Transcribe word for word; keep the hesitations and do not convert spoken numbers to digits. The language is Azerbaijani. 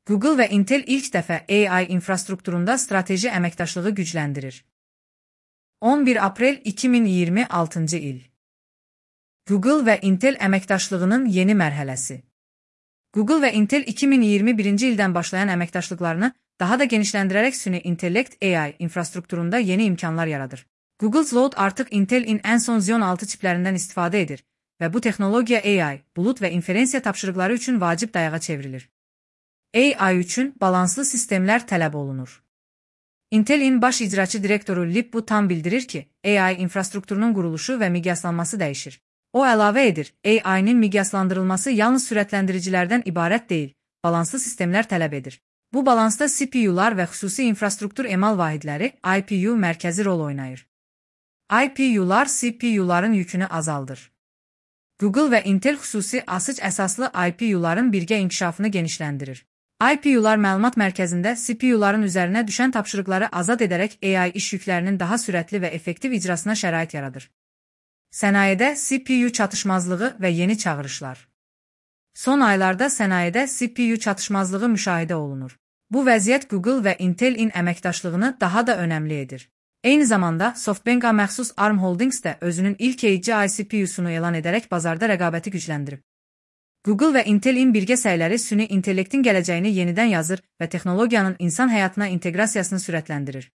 Google və Intel ilk dəfə A I infrastrukturunda strateji əməkdaşlığı gücləndirir. on bir aprel iki min iyirmi altıncı il. Google və Intel əməkdaşlığının yeni mərhələsi. Google və Intel iki min iyirmi birinci ildən başlayan əməkdaşlıqlarını daha da genişləndirərək süni intellekt A I infrastrukturunda yeni imkanlar yaradır. Google Cloud artıq Intel'in ən son Xeon altı çiplərindən istifadə edir və bu texnologiya A I, bulut və inferensiya tapşırıqları üçün vacib dayağa çevrilir. A I üçün balanslı sistemlər tələb olunur. Intel'in baş icraçı direktoru Lip-Bu Tan bildirir ki, A I infrastrukturunun quruluşu və miqyaslanması dəyişir. O əlavə edir, A I-nin miqyaslandırılması yalnız sürətləndiricilərdən ibarət deyil, balanslı sistemlər tələb edir. Bu balansda C P U-lar və xüsusi infrastruktur emal vahidləri I P U mərkəzi rol oynayır. I P U-lar C P U-ların yükünü azaldır. Google və Intel xüsusi asıc əsaslı I P U-ların birgə inkişafını genişləndirir. I P U-lar məlumat mərkəzində C P U-ların üzərinə düşən tapşırıqları azad edərək A I iş yüklərinin daha sürətli və effektiv icrasına şərait yaradır. Sənayedə C P U çatışmazlığı və yeni çağırışlar. Son aylarda sənayedə C P U çatışmazlığı müşahidə olunur. Bu vəziyyət Google və Intel-in əməkdaşlığını daha da önəmli edir. Eyni zamanda, SoftBank-a məxsus Arm Holdings də özünün ilk A G I C P U-sunu elan edərək bazarda rəqabəti gücləndirib. Google və Intel-in birgə səyləri süni intellektin gələcəyini yenidən yazır və texnologiyanın insan həyatına inteqrasiyasını sürətləndirir.